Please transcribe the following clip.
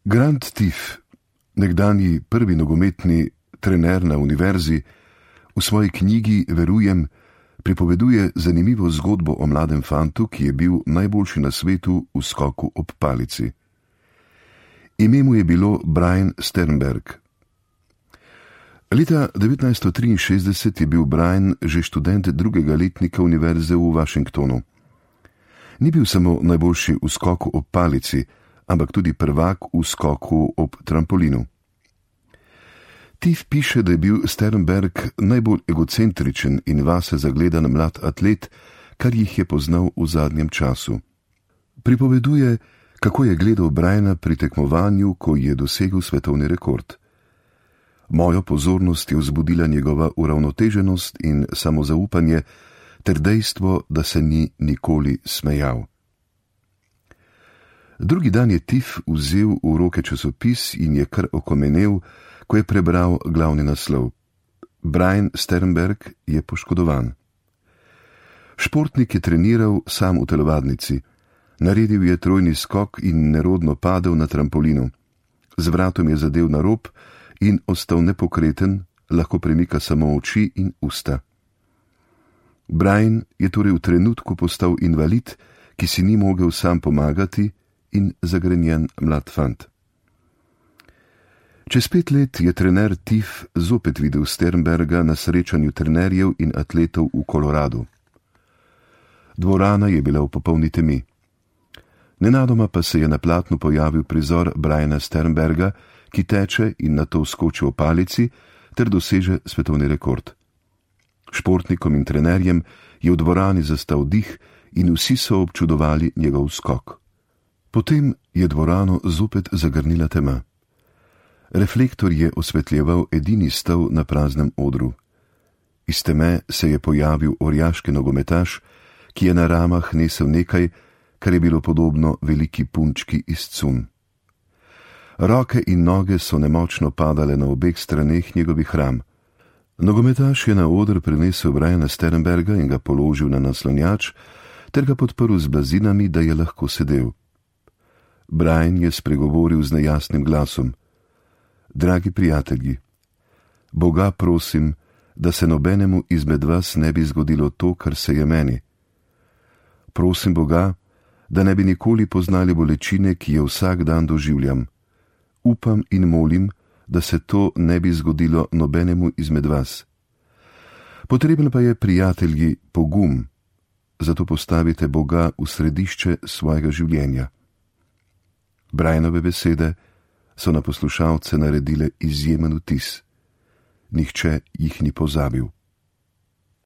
Grant Tiff, nekdanji prvi nogometni trener na univerzi, v svoji knjigi Verujem pripoveduje zanimivo zgodbo o mladem fantu, ki je bil najboljši na svetu v skoku ob palici. Ime mu je bilo Brian Sternberg. Leta 1963 je bil Brian že študent drugega letnika univerze v Washingtonu. Ni bil samo najboljši v skoku ob palici, ampak tudi prvak v skoku ob trampolinu. Tiff piše, da je bil Sternberg najbolj egocentričen in vase zagledan mlad atlet, kar jih je poznal v zadnjem času. Pripoveduje, kako je gledal Briana pri tekmovanju, ko je dosegel svetovni rekord. Mojo pozornost je vzbudila njegova uravnoteženost in samozaupanje ter dejstvo, da se ni nikoli smejal. Drugi dan je Tiff vzel v roke časopis in je kar okomenel, ko je prebral glavni naslov. Brian Sternberg je poškodovan. Športnik je treniral sam v telovadnici. Naredil je trojni skok in nerodno padel na trampolinu. Z vratom je zadel na rob in ostal nepokreten, lahko premika samo oči in usta. Brian je torej v trenutku postal invalid, ki si ni mogel sam pomagati, in zagrenjen mlad fant. Čez 5 let je trener Tiff zopet videl Sternberga na srečanju trenerjev in atletov v Koloradu. Dvorana je bila v popolni temi. Nenadoma pa se je na platnu pojavil prizor Briana Sternberga, ki teče in nato skoči v palici ter doseže svetovni rekord. Športnikom in trenerjem je v dvorani zastal dih in vsi so občudovali njegov skok. Potem je dvorano zopet zagrnila tema. Reflektor je osvetljeval edini stol na praznem odru. Iz teme se je pojavil orjaški nogometaš, ki je na ramah nesel nekaj, kar je bilo podobno veliki punčki iz cunj. Roke in noge so nemočno padale na obeh straneh njegovih ram. Nogometaš je na oder prinesel Briana Sternberga in ga položil na naslonjač, ter ga podprl z blazinami, da je lahko sedel. Brian je spregovoril z nejasnim glasom. Dragi prijatelji, Boga prosim, da se nobenemu izmed vas ne bi zgodilo to, kar se je meni. Prosim Boga, da ne bi nikoli poznali bolečine, ki jo vsak dan doživljam. Upam in molim, da se to ne bi zgodilo nobenemu izmed vas. Potreben pa je, prijatelji, pogum, zato postavite Boga v središče svojega življenja. Brianove besede so na poslušalce naredile izjemen vtis. Nihče jih ni pozabil.